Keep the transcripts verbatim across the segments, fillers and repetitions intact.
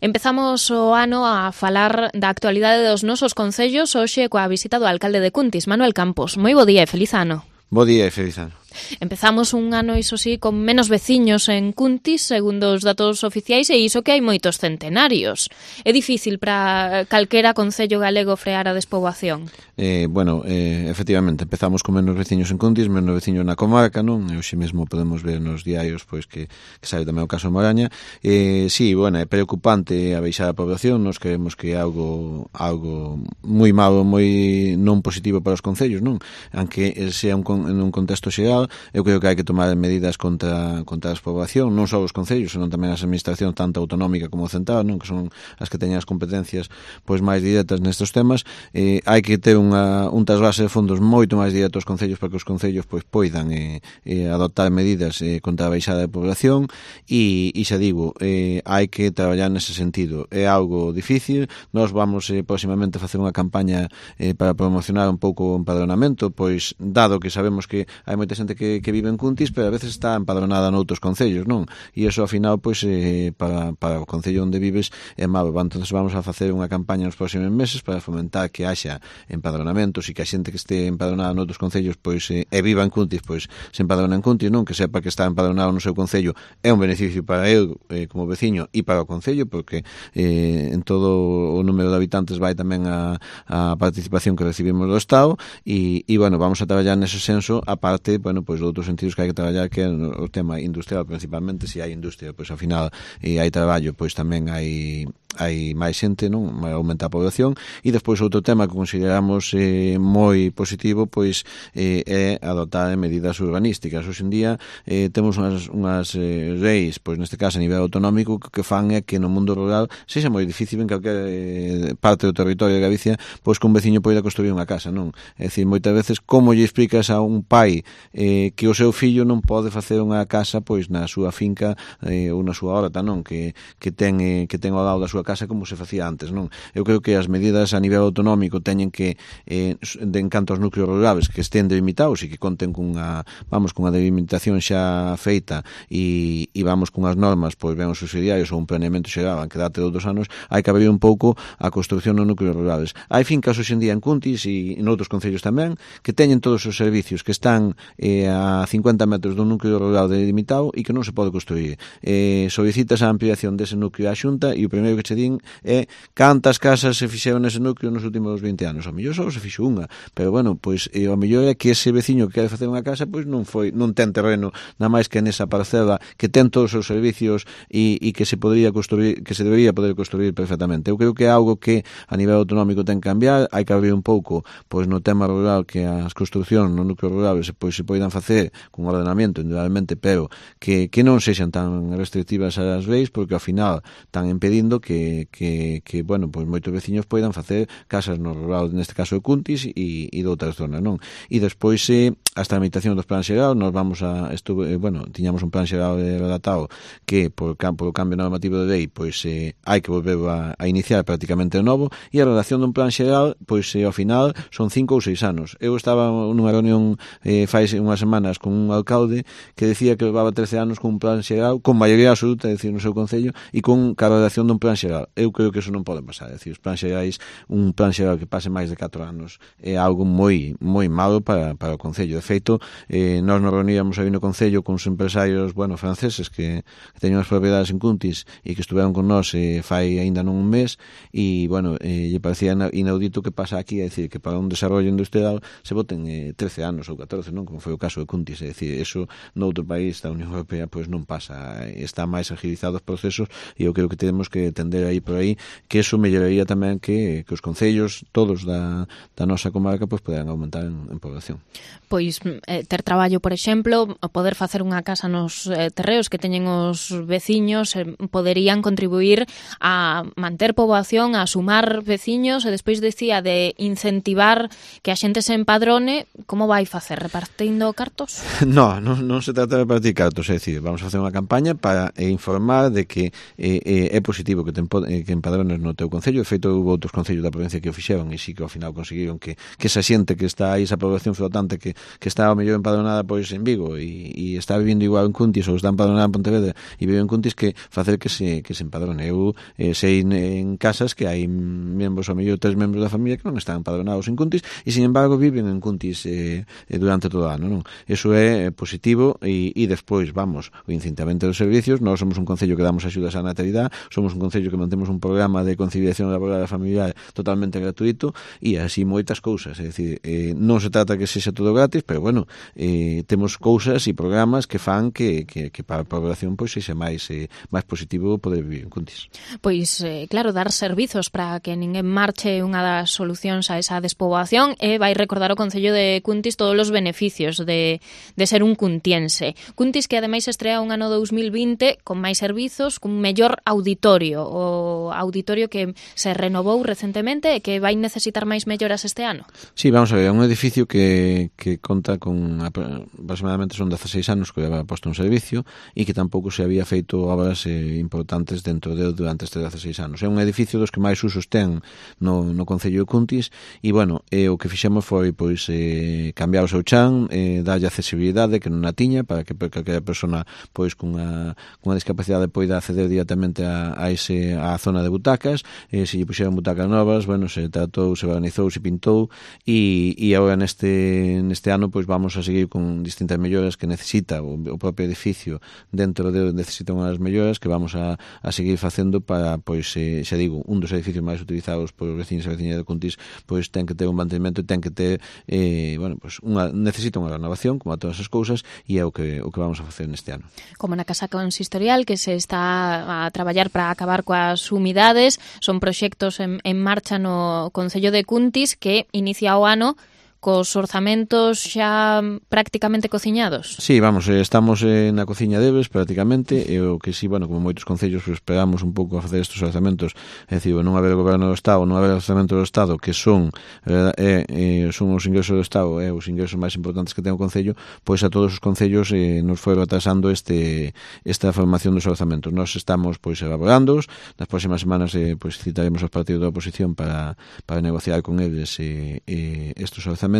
Empezamos o ano a falar da actualidade dos nosos concellos hoxe coa visita do alcalde de Cuntis, Manuel Campos. Moi bo día e feliz ano. Bo día e feliz ano. Empezamos un ano, iso sí, con menos veciños en Cuntis, segundo os datos oficiais, e iso que hai moitos centenarios. É difícil para calquera concello galego frear a despoboación? Eh, bueno, eh, efectivamente, empezamos con menos veciños en Cuntis, menos veciños na comarca, non? E hoxe mesmo podemos ver nos diarios pois que, que sabe tamén o caso de Moraña. Eh, sí, bueno, é preocupante a baixada da población, nos creemos que é algo algo moi malo, moi non positivo para os concellos, non? Aunque sea un, en un contexto xeral, eu creo que hai que tomar medidas contra, contra a despoboación, non só os concellos, senón tamén as administracións, tanto autonómica como central, non? Que son as que teñen as competencias pois máis directas nestes temas. Eh, hai que ter unha, un trasvase de fondos moito máis directo aos concellos para que os concellos pois poidan eh, eh, adoptar medidas eh, contra a baixada da población e, e xa digo, eh, hai que traballar nese sentido. É algo difícil, nós vamos eh, próximamente facer unha campaña eh, para promocionar un pouco o empadronamento, pois dado que sabemos que hai moita xente que, que vive en Cuntis, pero a veces está empadronada noutros concellos, non? E iso, ao final, pois, eh, para, para o concello onde vives é malo. Entón, vamos a facer unha campaña nos próximos meses para fomentar que haxa empadronamentos e que a xente que este empadronada noutros concellos, pois, eh, e viva en Cuntis, pois, se empadrona en Cuntis, non? Que sepa que está empadronado no seu concello é un beneficio para el, eh, como veciño, e para o concello, porque eh, en todo o número de habitantes vai tamén a, a participación que recibimos do Estado e, e, bueno, vamos a traballar nese senso, a parte, bueno, pois outros sentidos que hai que traballar, que é o tema industrial, principalmente. Se hai industria, pois ao final e hai traballo, pois tamén hai hai máis xente, non? Aumenta a población. E despois outro tema que consideramos eh, moi positivo, pois eh, é adoptar medidas urbanísticas. Hoxe en día eh, temos unhas, unhas eh, leis, pois neste caso a nivel autonómico, que, que fan é que no mundo rural sexa moi difícil en calquer eh, parte do territorio de Galicia, pois que un veciño poida construir unha casa, non? É dicir, moitas veces, como lle explicas a un pai eh, que o seu fillo non pode facer unha casa pois na súa finca eh, ou na súa horta, non? Que, que ten eh, que ten ao lado da súa casa como se facía antes, non? Eu creo que as medidas a nivel autonómico teñen que eh, de encanto aos núcleos rurales que estén delimitados e que conten cunha, vamos, cunha delimitación xa feita e, e vamos cunhas normas, pois ben os subsidiarios ou un planeamento xeral que date outros anos, hai que abrir un pouco a construcción nos núcleos rurales. Hai fincas hoxe en día en Cuntis e en outros concellos tamén que teñen todos os servicios, que están eh, a cincuenta metros dun núcleo rural delimitado e que non se pode construir. Eh, solicitas a ampliación dese núcleo á Xunta e o primeiro que che din é cantas casas se fixeron nese núcleo nos últimos vinte anos. A mellor só se fixo unha, pero bueno, pois eh, o mellor é que ese veciño que quere facer unha casa pois non foi non ten terreno nada máis que nesa parcela, que ten todos os servicios e, e que se podría construir, que se debería poder construir perfectamente. Eu creo que é algo que a nivel autonómico ten que cambiar, hai que abrir un pouco pois no tema rural, que as construcións no núcleo rural pois se poidan facer con ordenamento individualmente, pero que, que non sexan tan restrictivas as leis, porque ao final están impedindo que, que, que bueno, pois moitos veciños poidan facer casas no rural, neste caso de Cuntis e, e de outras zonas, non? E despois eh, as tramitacións dos plans xeral, nos vamos a estuve, eh, bueno, tiñamos un plan xeral redactado que por, por o cambio normativo de lei pois eh, hai que volver a, a iniciar prácticamente de novo, e a redacción dun plan xeral pois eh, ao final son cinco ou seis anos. Eu estaba nunha reunión eh, fai unhas semanas con un alcalde que decía que levaba trece anos con un plan xeral con maioría absoluta, é dicir, no seu concello, e con a redacción dun plan xeral. Eu creo que eso non pode pasar, é dicir, os plans xerais, un plan xeral que pase máis de catro anos é algo moi moi malo para, para o concello. De feito, eh, nós nos reuníamos aí no concello con os empresarios, bueno, franceses que, que teñen as propiedades en Cuntis e que estuveron con nós eh, fai aínda non un mes e, bueno, eh, lle parecía inaudito que pasa aquí, é dicir, que para un desarrollo industrial se voten eh, trece anos ou catorce, non? Como foi o caso de Cuntis, é dicir, eso no outro país da Unión Europea pois non pasa, está máis agilizados os procesos e eu creo que temos que tender aí por aí, que eso melloraría tamén que, que os concellos todos da, da nosa comarca pois poderan aumentar en, en población. Pois eh, ter traballo, por exemplo, poder facer unha casa nos eh, terreos que teñen os veciños eh, poderían contribuir a manter poboación, a sumar veciños, e despois decía de incentivar que a xente se empadrone. Como vai facer? Repartindo cartos? No, non, non se trata de repartir cartos, é dicir, vamos a facer unha campaña para informar de que eh, eh, é positivo que te que empadrones no teu concello. De feito, houve outros concellos da provincia que o fixeron e sí que ao final conseguiron que, que esa xente que está aí, esa población flotante que, que está ao mellor empadronada pois en Vigo e, e está vivindo igual en Cuntis ou está empadronada en Pontevedra e vive en Cuntis, que facer que se, que se empadrone. Eu eh, sei en casas que hai membros, ao mellor tres membros da familia que non están empadronados en Cuntis e, sin embargo, viven en Cuntis eh, durante todo o ano, non? Eso é positivo e, e despois, vamos, o incintamento dos servicios. Nós somos un concello que damos axudas á natalidade, somos un concello que mantemos un programa de conciliación laboral e familiar totalmente gratuito e así moitas cousas. É dicir, eh, non se trata que sexa todo gratis, pero, bueno, eh, temos cousas e programas que fan que, que, que para a población pois sexa máis, eh, máis positivo poder vivir en Cuntis. Pois, eh, claro, dar servizos para que ninguén marche unha das solucións a esa despoboación e vai recordar o Concello de Cuntis todos os beneficios de, de ser un cuntiense. Cuntis que ademais estrea un ano dous mil vinte con máis servizos, cun mellor auditorio, o auditorio que se renovou recentemente e que vai necesitar máis melloras este ano. Sí, vamos a ver, é un edificio que, que conta con aproximadamente son dezaseis anos que había posto un servicio e que tampouco se había feito obras eh, importantes dentro de durante estes dezaseis anos. É un edificio dos que máis usos ten no, no Concello de Cuntis e, bueno, eh, o que fixemos foi pois eh, cambiar o seu chan, eh, darlle accesibilidade que non a tiña para que calquera persona pois cunha, cunha discapacidade poida acceder directamente a, a, ese, a zona de butacas. Eh, se lle puxeron butacas novas, bueno, se tratou, se barnizou, se pintou e, e agora neste, neste ano pois vamos a seguir con distintas melloras que necesita o, o propio edificio. Dentro de necesita unhas melloras que vamos a, a seguir facendo para, pois, eh, xa digo, un dos edificios máis utilizados por veciños e veciñas de Cuntis, pois ten que ter un mantenimento e ten que ter, eh, bueno, pois unha, necesita unha renovación, como a todas as cousas, e é o que, o que vamos a facer neste ano. Como na Casa Consistorial, que se está a traballar para acabar coas humidades, son proxectos en, en marcha no Concello de Cuntis que inicia o ano cos orzamentos xa prácticamente cociñados. Sí, vamos, estamos eh, na cociña deles prácticamente, e o que sí, bueno, como moitos concellos pues, esperamos un pouco a facer estes orzamentos, é dicir, non haber o goberno do Estado, non haber o orzamento do Estado, que son eh, eh, son os ingresos do Estado, eh, os ingresos máis importantes que ten o concello, pois a todos os concellos eh, nos foi atrasando este esta formación dos orzamentos. Nós estamos pois elaborándoos, nas próximas semanas eh, pois citaremos aos partidos da oposición para, para negociar con eles eh, eh, estes orzamentos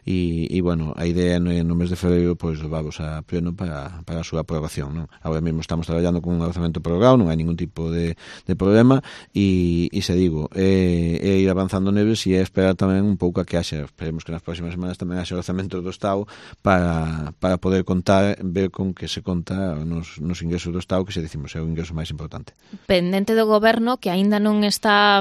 e, e bueno, a idea no, no mes de febreiro pois vamos a pleno para, para a súa aprobación, non? Agora mesmo estamos traballando con un orzamento prorrogado, non hai ningún tipo de, de problema e, e se digo, é, é ir avanzando neles e é esperar tamén un pouco a que haxa, esperemos que nas próximas semanas tamén haxa orzamento do Estado para, para poder contar, ver con que se conta nos, nos ingresos do Estado, que se dicimos é o ingreso máis importante. Pendente do goberno que aínda non está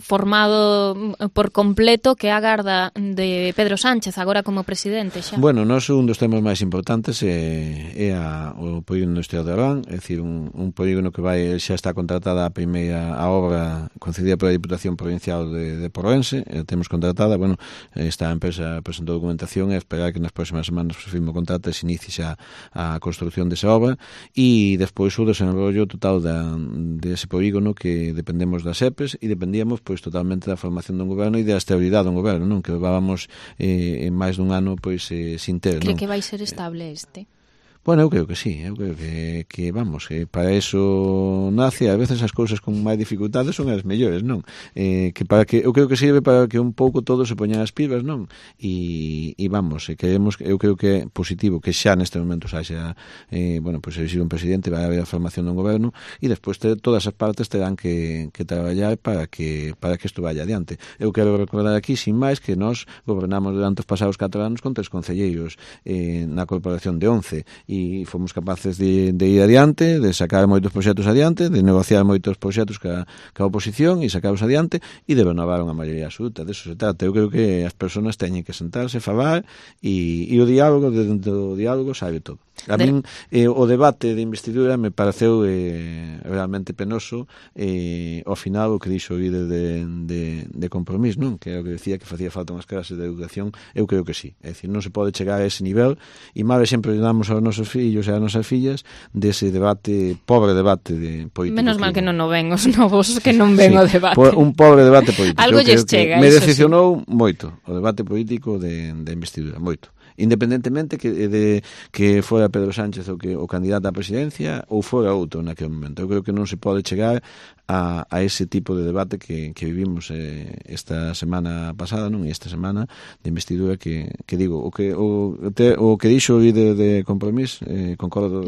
formado por completo, que agarda de Pedro Sánchez agora como presidente xa. Bueno, nós un dos temas máis importantes é, é a, o polígono industrial de Orbán, é dicir, un, un polígono que vai xa está contratada a primeira a obra concedida pola Diputación Provincial de, de Porroense, eh, temos contratada, bueno, esta empresa presentou documentación e esperar que nas próximas semanas se firme o contrato e se inicie xa a construción desa obra e despois o desenrollo total da, dese polígono que dependemos das E P E S e dependíamos pois totalmente da formación dun goberno e da estabilidade dun goberno, non? Que levábamos Eh, en máis dun ano pois eh, sin ter, Cree non? que vai ser estable este? Bueno, eu creo que sí, eu creo que, que vamos, que para eso nace, a veces as cousas con máis dificultades son as mellores, non? Eh, que para que eu creo que sirve para que un pouco todos se poñan as pibas, non? E, e vamos, e queremos, eu creo que é positivo que xa neste momento xa, eh, bueno, pois pues, se un presidente, vai haber a formación dun goberno e despois ter, todas as partes terán que, que traballar para que para que isto vaya adiante. Eu quero recordar aquí, sin máis, que nós gobernamos durante os pasados catro anos con tres concelleiros eh, na corporación de once e e fomos capaces de, de ir adiante, de sacar moitos proxectos adiante, de negociar moitos proxectos ca, ca oposición e sacarlos adiante e de renovar unha maioría absoluta. De eso se trata. Eu creo que as persoas teñen que sentarse, falar e, e o diálogo, dentro do diálogo sabe todo. A min eh, o debate de investidura me pareceu eh, realmente penoso eh, ao final o que dixo o líder de, de, de Compromís, non? Que era o que decía que facía falta unhas clases de educación. Eu creo que sí, é dicir, non se pode chegar a ese nivel e máis sempre damos aos nosos fillos e ás nosas fillas dese debate, pobre debate de político. Menos mal que non o ven os novos que non ven sí, o debate. Po, un pobre debate político. Algo lles chega. Me decepcionou sí. moito o debate político de, de investidura, moito. Independentemente que de que fora Pedro Sánchez o que o candidato á presidencia ou fora outro naquele momento. Eu creo que non se pode chegar a, a ese tipo de debate que, que vivimos eh, esta semana pasada, non? E esta semana de investidura que, que digo, o que o, te, o que dixo o líder de Compromís, eh, concordo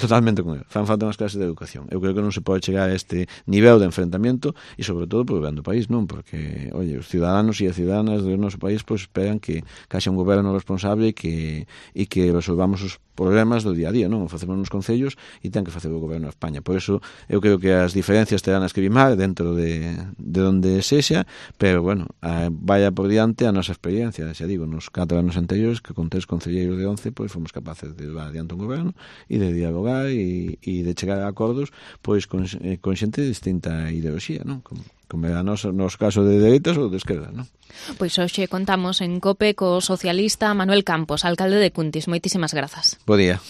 totalmente con ele. Fan falta unhas clases de educación. Eu creo que non se pode chegar a este nivel de enfrentamiento e sobre todo por ben do país, non? Porque, oye, os ciudadanos e as ciudadanas do noso país pois esperan que, que haxa un goberno responsable e que, e que resolvamos os problemas do día a día, non? O facemos nos concellos e ten que facer o goberno de España. Por eso eu creo que as diferencias terán as que limar dentro de, de onde sexa, pero, bueno, a, vaya por diante a nosa experiencia, xa digo, nos catro anos anteriores que con tres concelleiros de once pois fomos capaces de levar adiante un goberno e de dialogar e, e de chegar a acordos pois con, con xente de distinta ideoloxía, non? Como como é a noso, nos caso de dereitas ou de esquerda, non? Pois hoxe contamos en COPE co socialista Manuel Campos, alcalde de Cuntis. Moitísimas grazas. Bo día.